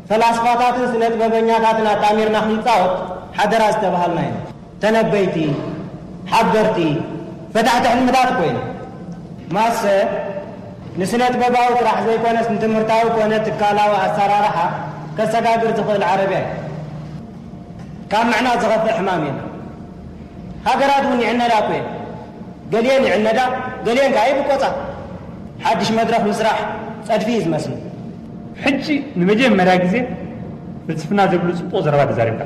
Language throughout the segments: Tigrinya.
ፈላስፋታትን ስነ ጥበበኛታትን ኣጣሚርና ክንጻወት ሓደራ ዝተባሃልና ኢና። ተነበይቲ፣ ሓበርቲ፣ ፈታሕቲ ሕልምታት ኮይና። ማሰ ንስነ ጥበባዊ ጥራሕ ዘይኮነስ ንትምህርታዊ ኮነ ትካላዊ ኣሰራርሓ ከሰጋግር ዝኽእል ዓረብያ እዩ። ካብ ምዕናድ ዝኸፍእ ሕማም የለን። ሃገራት እውን ይዕነዳ እኮ እየን። ገሊአን ይዕነዳ፣ ገሊአን ከዓ ይብቆጻ። ሓድሽ መድረኽ ምስራሕ ጸድፊ እዩ ዝመስል። ሕጂ ንመጀመርያ ግዜ ፍልስፍና ዘይብሉ ጽቡቕ ዘረባ ተዛሪብካ።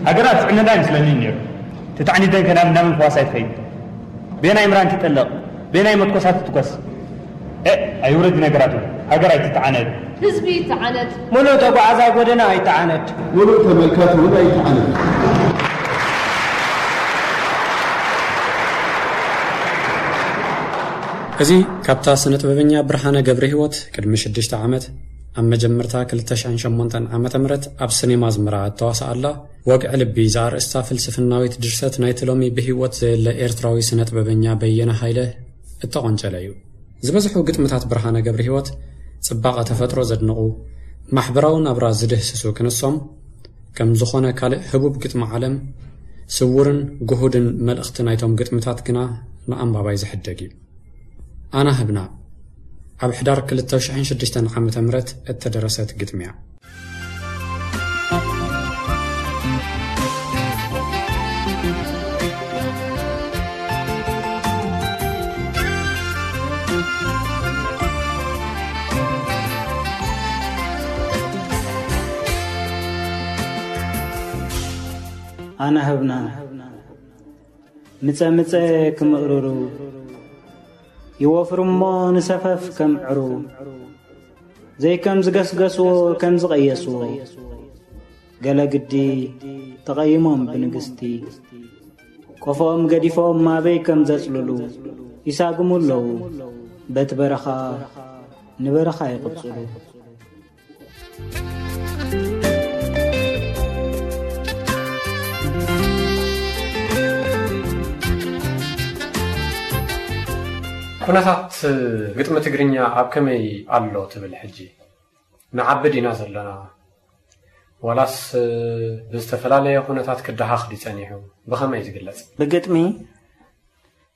ሃገራት ዝዕነዳ ይመስለኒ ነይሩ። ተታዕኒደን ከናብ እንዳመን ክዋሳ ይትኸይድ። ቤናይ ምራን ትጠለቕ፣ ቤናይ መትኮሳት ትትኮስ። እ፣ ኣይውረድ ነገራቱ። ሃገር ኣይትተዓነድ። ህዝቢ ይተዓነድ። ሙሉእ ተጓዓዛይ ጎደና ኣይተዓነድ። ሙሉእ ተመልካቲ እውን ኣይተዓነድ። እዚ ካብታ ስነ ጥበበኛ ብርሃነ ገብረ ህይወት ቅድሚ ሽዱሽተ ዓመት ኣብ መጀመርታ ክልተ ሽሕን ሸሞንተን ዓመተ ምህረት ኣብ ሲኔማ ኣዝመራ እተዋስኣላ ወግዒ ልቢ ዝኣርእስታ ፍልስፍናዊት ድርሰት ናይቲ ሎሚ ብህይወት ዘየለ ኤርትራዊ ስነ ጥበበኛ በየነ ሃይለ እተቖንጨለ እዩ። ዝበዝሑ ግጥምታት ብርሃነ ገብረ ህይወት ጽባቐ ተፈጥሮ ዘድንቑ፣ ማሕበራዊ ናብራ ዝድህስሱ ክንሶም፣ ከም ዝኾነ ካልእ ህቡብ ግጥሚ ዓለም፣ ስዉርን ግሁድን መልእኽቲ ናይቶም ግጥምታት ግና ንኣንባባይ ዝሕደግ እዩ። ኣና ህብና ኣብ ሕዳር ክልተ ሽሕን ሽዱሽተን ዓመተ ምህረት እተደረሰት ግጥሚ እያ። ኣነ ህብና ምጸ ምጸ ክምእርሩ ይወፍሩ እሞ ንሰፈፍ ከምዕሩ ዘይከም ዝገስገስዎ ከም ዝቐየስዎ ገለ ግዲ ተቐይሞም ብንግስቲ ቆፎኦም ገዲፎም ማበይ ከም ዘጽልሉ ይሳግሙ ኣለዉ። በቲ በረኻ ንበረኻ ይቕጽሉ። ኩነታት ግጥሚ ትግርኛ ኣብ ከመይ ኣሎ ትብል ሕጂ? ንዓቢ ዲና ዘለና? ዋላስ ብዝተፈላለየ ኩነታት ክደሃኽ ድዩ ጸኒሑ? ብኸመይ ዝግለጽ? ብግጥሚ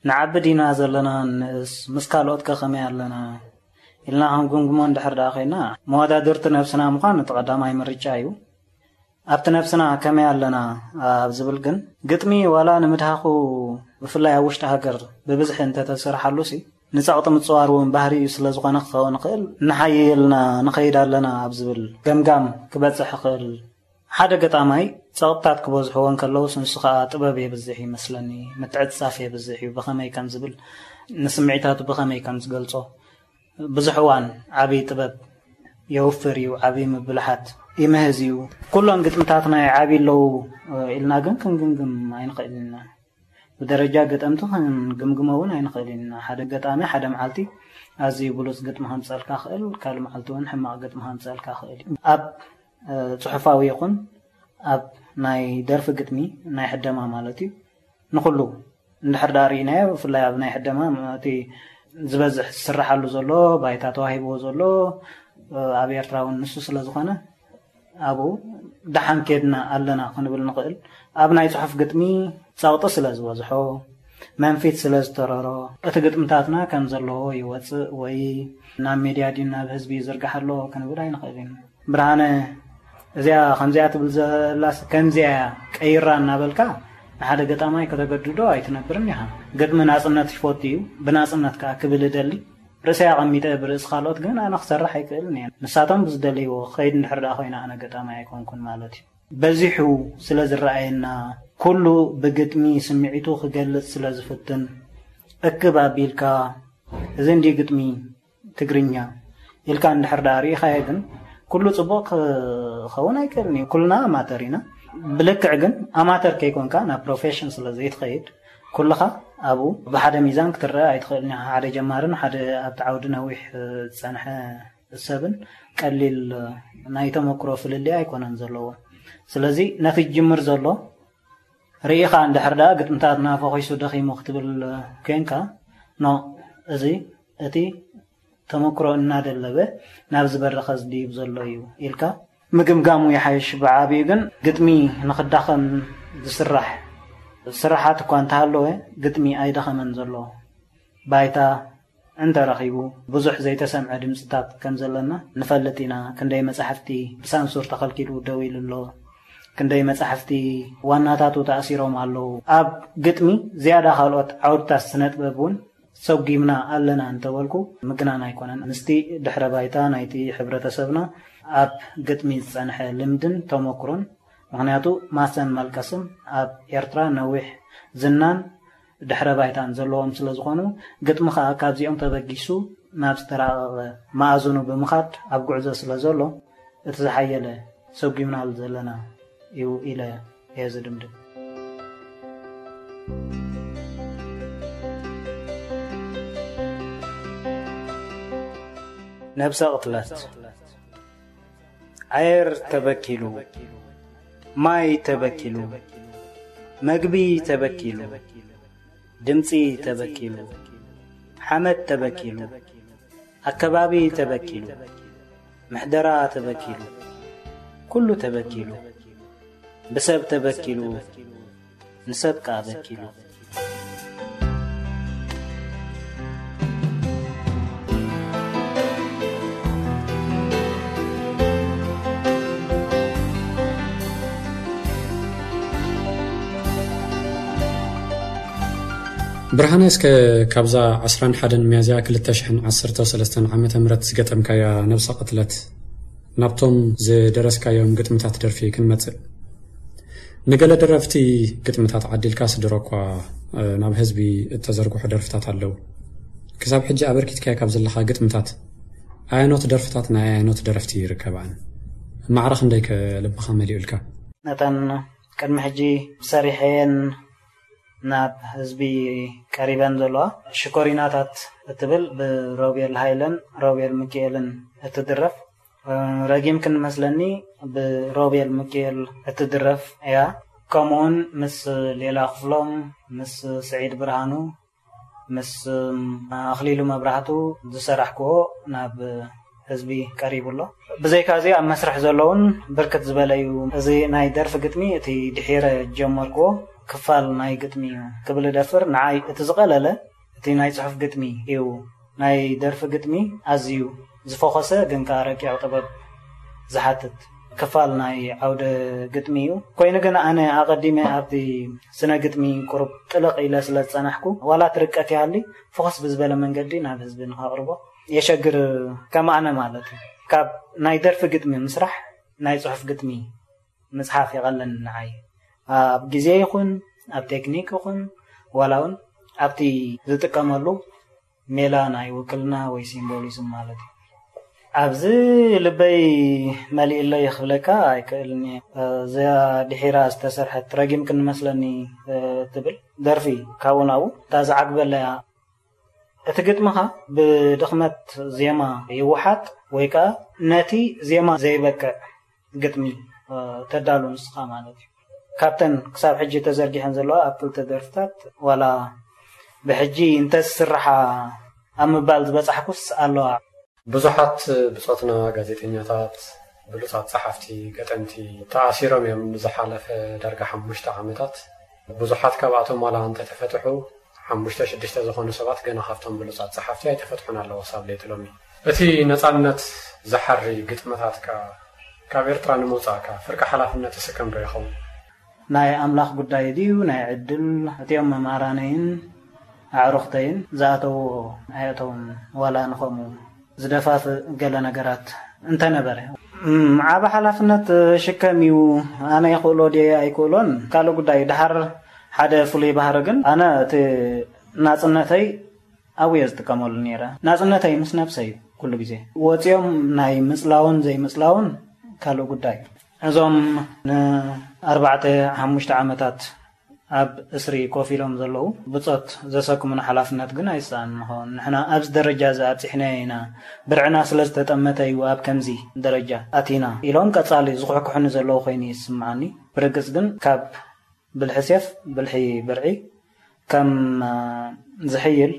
ንዓቢ ዲና ዘለና ንእስ፣ ምስ ካልኦት ከ ከመይ ኣለና ኢልና ክንግምግሞ እንድሕር ደኣ ኮይና፣ መወዳድርቲ ነብስና ምዃን እቲ ቀዳማይ ምርጫ እዩ። ኣብቲ ነብስና ከመይ ኣለና ኣብ ዝብል ግን፣ ግጥሚ ዋላ ንምድሃኹ ብፍላይ ኣብ ውሽጢ ሃገር ብብዝሒ እንተተሰርሓሉሲ፣ ንጸቕጢ ምጽዋር እውን ባህሪ እዩ ስለ ዝኾነ ክኸውን ይኽእል፣ ንሓይልና ንኸይድ ኣለና ኣብ ዝብል ገምጋም ክበጽሕ ይኽእል። ሓደ ገጣማይ ጸቕጥታት ክበዝሕዎ እንከለውስ ንሱ ኸኣ ጥበብ የብዝሕ ይመስለኒ፣ ምትዕጽጻፍ የብዝሕ እዩ፣ ብኸመይ ከም ዝብል ንስምዒታቱ ብኸመይ ከም ዝገልጾ ብዙሕ እዋን ዓቢ ጥበብ የውፍር እዩ፣ ዓቢ ምብልሓት ይምህዝ እዩ። ኩሎም ግጥምታት ናይ ዓቢ ኣለዉ ኢልና ግን ክንግምግም ኣይንኽእልን ኢና። ብደረጃ ገጠምቲ ክንግምግሞ እውን ኣይንኽእልን ኢና። ሓደ ገጣሚ ሓደ መዓልቲ ኣዝዩ ብሉጽ ግጥሚ ከምጸልካ ክእል፣ ካልእ መዓልቲ እውን ሕማቕ ግጥሚ ከምጸልካ ክእል እዩ። ኣብ ጽሑፋዊ ይኹን ኣብ ናይ ደርፊ ግጥሚ ናይ ሕደማ ማለት እዩ ንኹሉ እንድሕር ደኣ ርኢናዮ ብፍላይ ኣብ ናይ ሕደማ እቲ ዝበዝሕ ዝስርሓሉ ዘሎ ባይታ ተዋሂብዎ ዘሎ ኣብ ኤርትራ እውን ንሱ ስለ ዝኾነ ኣብኡ ደሓን ኬድና ኣለና ክንብል ንኽእል። ኣብ ናይ ጽሑፍ ግጥሚ ጸቕጢ ስለ ዝበዝሖ መንፊት ስለ ዝተረሮ እቲ ግጥምታትና ከም ዘለዎ ይወጽእ ወይ ናብ ሜድያ ድዩ ናብ ህዝቢ ይዝርጋሕ ኣሎ ክንብል ኣይንኽእልን። ብርሃነ እዚኣ ከምዚኣ ትብል ዘላስ ከምዚኣ እያ ቀይራ እናበልካ ንሓደ ገጣማይ ከተገድዶ ኣይትነብርን ኢኻ። ግጥሚ ናጽነት ይፈቱ እዩ። ብናጽነት ከኣ ክብል እደሊ። ርእሰይ ኣቐሚጠ ብርእሲ ካልኦት ግን ኣነ ክሰርሕ ኣይክእልን እየ። ንሳቶም ብዝደለይዎ ክኸይድ እንድሕር ደኣ ኮይነ ኣነ ገጣማይ ኣይኮንኩን ማለት እዩ። በዚሑ ስለ ዝረኣየና ኩሉ ብግጥሚ ስምዒቱ ክገልጽ ስለ ዝፍትን እክብ ኣቢልካ እዚ እንድዩ ግጥሚ ትግርኛ ኢልካ እንድሕር ደኣ ርኢኻዮ ግን ኩሉ ጽቡቕ ክኸውን ኣይክእልን እዩ። ኩልና ኣማተር ኢና። ብልክዕ ግን ኣማተር ከይኮንካ ናብ ፕሮፌሽን ስለ ዘይትኸይድ ኩልኻ ኣብኡ ብሓደ ሚዛን ክትረአ ኣይትኽእልን ኢኻ። ሓደ ጀማርን ሓደ ኣብቲ ዓውዲ ነዊሕ ዝጸንሐ ሰብን ቀሊል ናይ ተመክሮ ፍልልይ ኣይኮነን ዘለዎ። ስለዚ ነቲ ዝጅምር ዘሎ ርኢኻ እንድሕር ደኣ ግጥምታትና ፈኺሱ ደኺሙ ክትብል ኮንካ ኖ እዚ እቲ ተመክሮ እናደለበ ናብ ዝበረኸ ዝድይብ ዘሎ እዩ ኢልካ ምግምጋሙ ይሓይሽ። ብዓብዩ ግን ግጥሚ ንኽዳኸም ዝስራሕ ስራሓት እኳ እንተሃለወ፣ ግጥሚ ኣይደኸመን ዘሎ። ባይታ እንተረኺቡ፣ ብዙሕ ዘይተሰምዐ ድምፅታት ከም ዘለና ንፈልጥ ኢና። ክንደይ መጻሕፍቲ ብሳንሱር ተኸልኪሉ ደው ኢሉ ኣሎ። ክንደይ መጻሕፍቲ ዋናታቱ ተኣሲሮም ኣለዉ። ኣብ ግጥሚ ዝያዳ ካልኦት ዓውድታት ስነ ጥበብ እውን ሰጒምና ኣለና እንተበልኩ ምግናን ኣይኮነን። ምስቲ ድሕረ ባይታ ናይቲ ሕብረተሰብና ኣብ ግጥሚ ዝጸንሐ ልምድን ተመክሮን፣ ምኽንያቱ ማሰን መልቀስን ኣብ ኤርትራ ነዊሕ ዝናን ድሕረ ባይታን ዘለዎም ስለ ዝኾኑ፣ ግጥሚ ከኣ ካብዚኦም ተበጊሱ ናብ ዝተራቐቐ መኣዝኑ ብምኻድ ኣብ ጉዕዞ ስለ ዘሎ፣ እቲ ዝሓየለ ሰጒምናሉ ዘለና እዩ ኢለ እየ ዝድምድም። ነብሰ ቅትለት። ኣየር ተበኪሉ፣ ማይ ተበኪሉ፣ መግቢ ተበኪሉ፣ ድምጺ ተበኪሉ፣ ሓመድ ተበኪሉ፣ ኣከባቢ ተበኪሉ፣ ምሕደራ ተበኪሉ፣ ኩሉ ተበኪሉ፣ ብሰብ ተበኪሉ፣ ንሰብ ከኣ በኪሉ። ብርሃነ፣ እስከ ካብዛ ዕስራን ሓደን ሚያዝያ ክልተ ሽሕን ዓሰርተ ሰለስተን ዓመተ ምህረት ዝገጠምካያ ነብሰ ቅትለት፣ ናብቶም ዝደረስካዮም ግጥምታት ደርፊ ክንመጽእ። ንገለ ደረፍቲ ግጥምታት ዓዲልካ ስድሮ እኳ፣ እ፣ ናብ ህዝቢ እተዘርግሑ ደርፍታት ኣለዉ። ክሳብ ሕጂ ኣበርኪትካዮ ካብ ዘለኻ ግጥምታት ኣየኖት ደርፍታት ናይ ኣየኖት ደረፍቲ ይርከባን? ማዕረ ክንደይ ከ ልብኻ መሊኡልካ? ነተን ቅድሚ ሕጂ ሰሪሐየን ናብ ህዝቢ ቀሪበን ዘለዋ ሽኮሪናታት እትብል ብሮቤል ሃይለን ሮቤል ሚካኤልን እትድረፍ፣ እ፣ ረጊም ክንመስለኒ ብሮቤል ሚካኤል እትድረፍ እያ። ከምኡውን ምስ ሌላ ክፍሎም፣ ምስ ስዒድ ብርሃኑ፣ ምስ፣ እ፣ ኣኽሊሉ መብራህቱ ዝሰራሕክዎ ናብ ህዝቢ ቀሪቡ ኣሎ። ብዘይካ እዚ ኣብ መስርሕ ዘለውን ብርክት ዝበለ እዩ። እዚ ናይ ደርፊ ግጥሚ እቲ ድሒረ ጀመርክዎ ክፋል ናይ ግጥሚ እዩ ክብል እደፍር። ንዓይ እቲ ዝቐለለ እቲ ናይ ጽሑፍ ግጥሚ እዩ። ናይ ደርፊ ግጥሚ ኣዝዩ ዝፈኾሰ ግን ከኣ ረቂቕ ጥበብ ዝሓትት ክፋል ናይ ዓውደ ግጥሚ እዩ። ኮይኑ ግን ኣነ ኣቐዲመ ኣብቲ ስነ ግጥሚ ቁሩብ ጥልቕ ኢለ ስለ ዝጸናሕኩ፣ ዋላ እቲ ርቀት ይሃሊ፣ ፍኹስ ብዝበለ መንገዲ ናብ ህዝቢ ንኸቕርቦ የሸግር። ከም ኣነ ማለት እዩ። ካብ ናይ ደርፊ ግጥሚ ምስራሕ ናይ ጽሑፍ ግጥሚ ምጽሓፍ ይቐለኒ ንዓይ። ኣብ ግዜ ይኹን፣ ኣብ ቴክኒክ ይኹን፣ ዋላ እውን ኣብቲ ዝጥቀመሉ ሜላ ናይ ውክልና ወይ ሲምቦሊዝም ማለት እዩ። ኣብዚ ልበይ መሊእለይ ክብለካ ኣይክእልን እየ። እዛ ድሒራ ዝተሰርሐት ረጊም ክንመስለኒ፣ እ፣ ትብል ደርፊ ካብኡ ናብኡ እታ ዝዓግበለያ። እቲ ግጥምኻ ብድኽመት ዜማ ይወሓጥ ወይ ከኣ ነቲ ዜማ ዘይበቅዕ ግጥሚ፣ እ፣ ተዳሉ ንስኻ ማለት እዩ። ካብተን ክሳብ ሕጂ ተዘርጊሐን ዘለዋ ኣብ ክልተ ደርፍታት ዋላ ብሕጂ እንተዝስርሓ ኣብ ምባል ዝበጻሕኩስ ኣለዋ። ብዙሓት ብጾትና ጋዜጠኛታት፣ ብሉጻት ጸሓፍቲ፣ ገጠምቲ ተኣሲሮም እዮም ንዝሓለፈ ዳርጋ ሓሙሽተ ዓመታት። ብዙሓት ካብኣቶም ዋላ እንተተፈትሑ፣ ሓሙሽተ ሽዱሽተ ዝኾኑ ሰባት ገና ካብቶም ብሉጻት ጸሓፍቲ ኣይተፈትሑን ኣለዉ ክሳብ ለይቲ ሎሚ። እቲ ነጻነት ዝሓሪ ግጥምታትካ ካብ ኤርትራ ንምውጻእካ ፍርቂ ሓላፍነት ትስከም ዶ ይኸውን? ናይ ኣምላኽ ጉዳይ ድዩ ናይ ዕድል? እቲኦም መማራነይን ኣዕሩኽተይን ዝኣተውዎ ኣየእተውን፣ ዋላ ንኸምኡ ዝደፋፍእ ገለ ነገራት እንተነበረ። እም፣ ዓቢ ሓላፍነት ሽከም እዩ። ኣነ ይኽእሎ ድየ ኣይክእሎን ካልእ ጉዳይ እዩ። ደሓር ሓደ ፍሉይ ባህሪ ግን፣ ኣነ እቲ ናጽነተይ ኣብየ ዝጥቀመሉ ነይረ። ናጽነተይ ምስ ነብሰይ ኩሉ ግዜ። ወጺኦም ናይ ምጽላውን ዘይምጽላውን ካልእ ጉዳይ እዩ። እዞም ንኣርባዕተ ሓሙሽተ ዓመታት ኣብ እስሪ ኮፍ ኢሎም ዘለዉ ብጾት ዘሰክሙና ሓላፍነት ግን ኣይሰኣን ንኸውን። ንሕና ኣብዚ ደረጃ እዚ ኣብጺሕናዮ ኢና። ብርዕና ስለ ዝተጠመተ እዩ ኣብ ከምዚ ደረጃ ኣቲና ኢሎም ቀጻሊ ዝኹሕኩሑኒ ዘለዉ ኮይኑ ይስምዓኒ። ብርግጽ ግን ካብ ብልሒ ሴፍ ብልሒ ብርዒ ከም፣ እ፣ ዝሕይል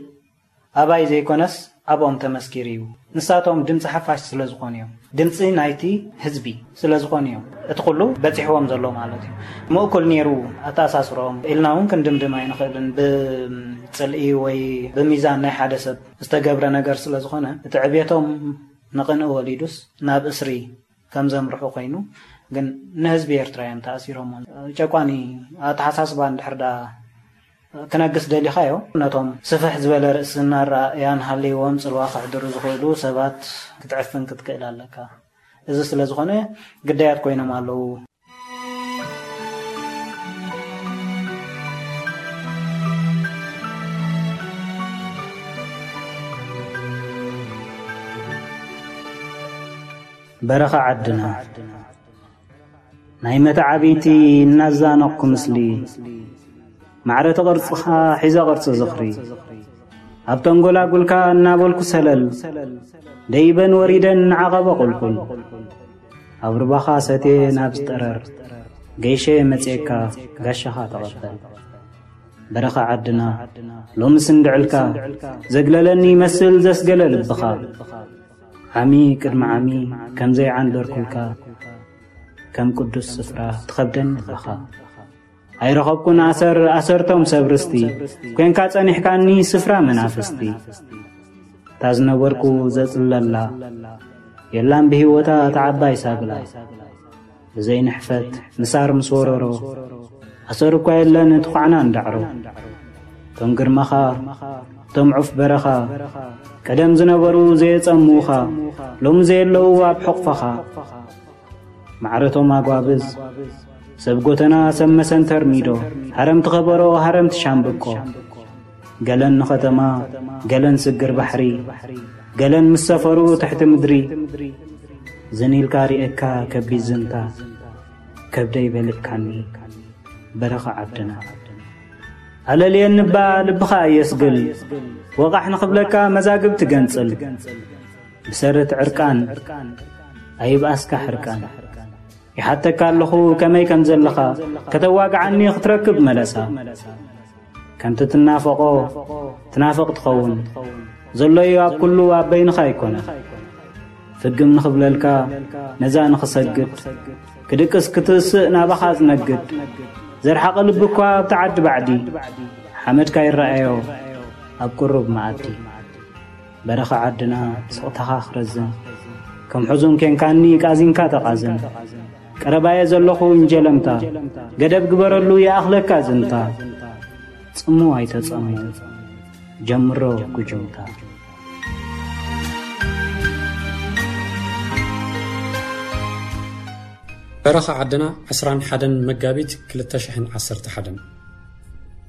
ኣባይ ዘይኮነስ ኣብኦም ተመስኪሩ እዩ። ንሳቶም ድምፂ ሓፋሽ ስለ ዝኾኑ እዮም። ድምፂ ናይቲ ህዝቢ ስለ ዝኾኑ እዮም። እቲ ኩሉ በፂሕዎም ዘሎ ማለት እዩ። ምእኩል ነይሩ ኣተኣሳስሮም ኢልና እውን ክንድምድም ኣይንኽእልን። ብፅልኢ ወይ ብሚዛን ናይ ሓደ ሰብ ዝተገብረ ነገር ስለ ዝኾነ፣ እቲ ዕብየቶም ንቕንኢ ወሊዱስ ናብ እስሪ ከም ዘምርሑ ኮይኑ፣ ግን ንህዝቢ ኤርትራ እዮም ተኣሲሮም። ጨቋኒ ኣተሓሳስባ እንድሕር ዳ ክነግስ ደሊኻዮ፣ ነቶም ስፍሕ ዝበለ ርእስና ኣረኣእያን ሃልይዎም ጽልዋ ከሕድሩ ዝኽእሉ ሰባት ክትዕፍን ክትክእል ኣለካ። እዚ ስለ ዝኾነ ግዳያት ኮይኖም ኣለዉ። በረኻ ዓድና። ናይ መተዓብይቲ እናዛነቕኩ ምስሊ፣ ማዕረ እቲ ቅርጽኻ ሒዘ ቅርጺ ዝኽሪ፣ ኣብ ተንጎላጉልካ እናበልኩ ሰለል፣ ደይበን ወሪደን እናዓቐበ ቁልቁል፣ ኣብ ሩባኻ ሰትየ ናብ ዝጠረር፣ ገይሸ መጽየካ ጋሻኻ ተቐበል። በረኻ ዓድና፣ ሎምስ እንድዕልካ፣ ዘግለለኒ ይመስል ዘስገለ ልብኻ። ዓሚ ቅድሚ ዓሚ ከም ዘይዓንደርኩልካ፣ ከም ቅዱስ ስፍራ ትኸብደኒ ኣለኻ። ኣይረኸብኩን ኣሰር ኣሰርቶም ሰብ ርስቲ፣ ኮንካ ጸኒሕካኒ ስፍራ መናፍስቲ። እታ ዝነበርኩ ዘጽለላ፣ የላን ብህይወታ እታ ዓባይ ሳግላ። ብዘይንሕፈት ምሳር ምስ ወረሮ፣ ኣሰር እኳ የለን እቲ ኳዕና እንዳዕሮ። እቶም ግርማኻ፣ እቶም ዑፍ በረኻ፣ ቀደም ዝነበሩ ዘየጸምኡኻ፣ ሎሚ ዘየለዉ ኣብ ሕቕፈኻ። ማዕረቶም ኣጓብዝ፣ ሰብ ጎተና፣ ሰብ መሰንተር ሚዶ፣ ሃረምቲ ከበሮ፣ ሃረምቲ ሻምብቆ። ገለን ንኸተማ፣ ገለን ስግር ባሕሪ፣ ገለን ምስ ሰፈሩ ትሕቲ ምድሪ። ዝን ኢልካ ሪኤካ ከቢድ ዝንታ፣ ከብደይ በልካኒ በረኻ ዓድና። ኣለልየኒ እባ ልብኻ ኣየስግል፣ ወቓሕ ንኽብለካ መዛግብ ትገንጽል። ብሰረት ዕርቃን ኣይብኣስካ ሕርቃን። ይሓተካ ኣለኹ ከመይ ከም ዘለኻ፣ ከተዋግዓኒ ክትረክብ መለሳ። ከምቲ ትናፈቖ ትናፍቕ ትኸውን፣ ዘሎ'ዩ ኣብ ኩሉ ኣብ በይንኻ ኣይኮነን። ፍግም ንኽብለልካ ነዛ ንኽሰግድ፣ ክድቅስ ክትስእ ናባኻ ዝነግድ። ዘርሓቐ ልቢ እኳ ኣብቲ ዓዲ ባዕዲ፣ ሓመድካ ይረኣዮ ኣብ ቅሩብ መኣዲ። በረኻ ዓድና ስቕታኻ ክረዝን፣ ከም ሕዙን ኬንካኒ ቃዚንካ ተቓዝን። ቀረባየ ዘለኹ እንጀለምታ፣ ገደብ ግበረሉ ይኣኽለካ ዝንታ። ጽሙ ኣይተጸሙ፣ ጀምሮ ጉጅምታ። በረኻ ዓድና፣ ዕስራን ሓደን መጋቢት ክልተ ሽሕን ዓሰርተ ሓደን።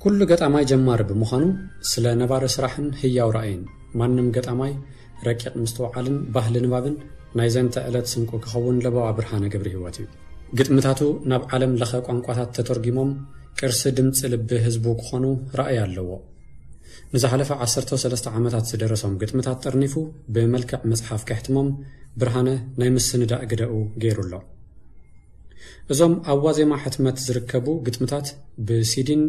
ኩሉ ገጣማይ ጀማሪ ብምዃኑ፣ ስለ ነባሪ ስራሕን ህያው ራእይን ማንም ገጣማይ ረቂቕ ምስትውዓልን ባህሊ ንባብን ናይ ዘንተ ዕለት ስንቁ ክኸውን ለበዋ ብርሃነ ገብረህይወት እዩ። ግጥምታቱ ናብ ዓለም ለኸ ቋንቋታት ተተርጒሞም ቅርሲ ድምጺ ልቢ ህዝቡ ክኾኑ ራእይ ኣለዎ። ንዝሓለፈ ዓሰርተ ሰለስተ ዓመታት ዝደረሶም ግጥምታት ጠርኒፉ ብመልክዕ መጽሓፍ ከሕትሞም ብርሃነ ናይ ምስንዳእ ግደኡ ገይሩ ኣሎ። እዞም ኣብ ዋዜማ ሕትመት ዝርከቡ ግጥምታት ብሲዲን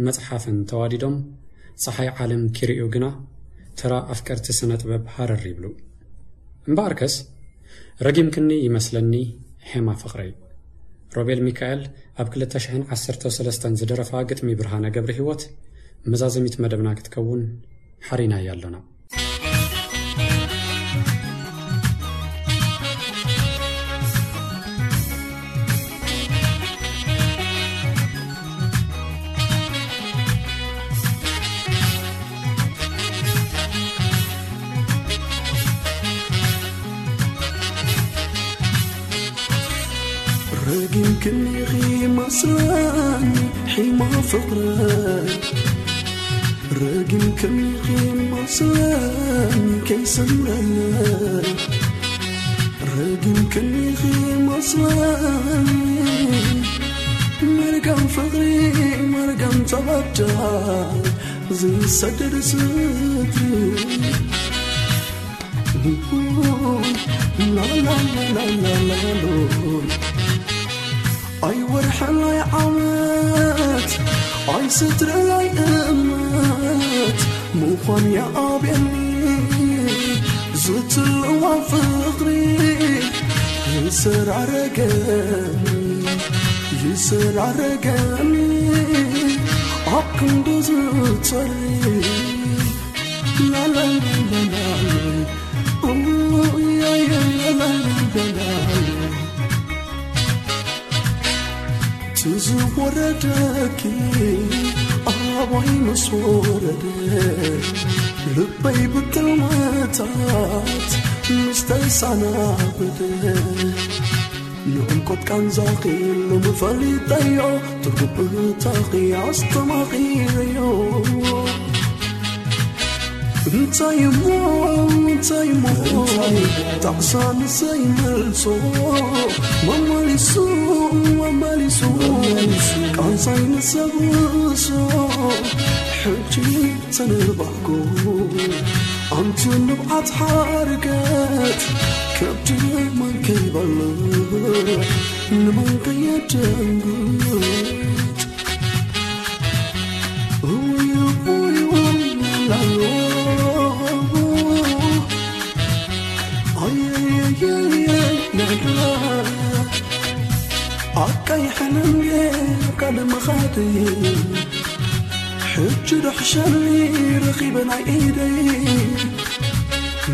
መጽሓፍን ተዋዲዶም ጸሓይ ዓለም ኪርእዩ ግና ተራ ኣፍቀርቲ ስነ ጥበብ ሃረር ይብሉ። እምበኣርከስ ረጊምክኒ ይመስለኒ ሄማ ፍቕረይ። ሮቤል ሚካኤል ኣብ ክልተ ሽሕን ዓሰርተ ሰለስተን ዝደረፋ ግጥሚ ብርሃነ ገብረህይወት መዛዘሚት መደብና ክትከውን ሓሪናያ ኣሎና። ረጊም ክኒኺ መስለኒ ሒማ ፍቕረይ፣ ረጊም ክኒኺ መስለኒ ከይሰምረለይ፣ ረጊም ክኒኺ መስለኒ መርገም ፍቕሪ መርገም ተበዳይ ዝሰደድ ስትሪ። ኣይወርሕላይ ዓመት ኣይስትርላይ እመት ምዃን የኣብየኒ ዝትልዋ ፍቕሪ ይሰራረገኒ፣ ይሰራረገኒ ኣብ ክንዱ ዝጸሪ። ላላላላላ፣ ኡያያላላላ። ትዝወረደኪ ኣባይ ምስ ወረደ፣ ልበይ ብጥልመታት ምስ ተሰናበደ። ንዕምቆት ቃንዛኺ ሎሚ ፈሊጠዮ፣ ትርጉም እህታኺ ኣስተማቒረዮ። እንታይ እሞ፣ እንታይ እሞ፣ ጣዕሳ ንሰይ መልሶ፣ መመሊሱ፣ መመሊሱ፣ ቃንዛይ ንሰብሶ፣ ሕጂ ተነባዕኩ፣ ኣንቲ ንብዓት ሓርገት፣ ከብዲ መን ከይበልዕ፣ ንመን ከየደንግጽ። ኣቃይሐንን ካልእ መኻደይ፣ ሕጂ ዶ ሕሸኒ ረኺበ ናይ ኢደይ።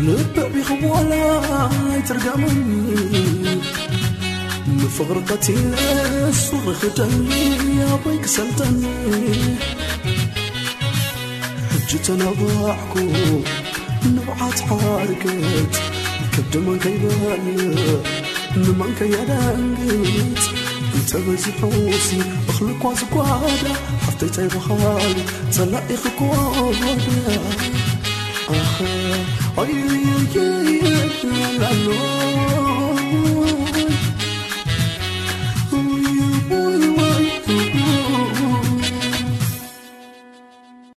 ልቢ ቢኽቦላ ኣይትርገመኒ፣ ንፍቕሪ ቀቲለስ ፍቕሪ ክደሊ ኣበይ ክሰልጠኒ። ሕጂ ተነባዕኩ ንብዓት ሓርገት፣ ከብዲ መን ከይበልዕ ንመን ከየደንግጽ። እንተበዚሑሲ እኽሊ እኳ ዝጓዳ፣ ሓፍተይ ታይ በሃሊ ጸላኢኺ እኮ ጓዳ። ኣኸ ኣየየየየ ላሎ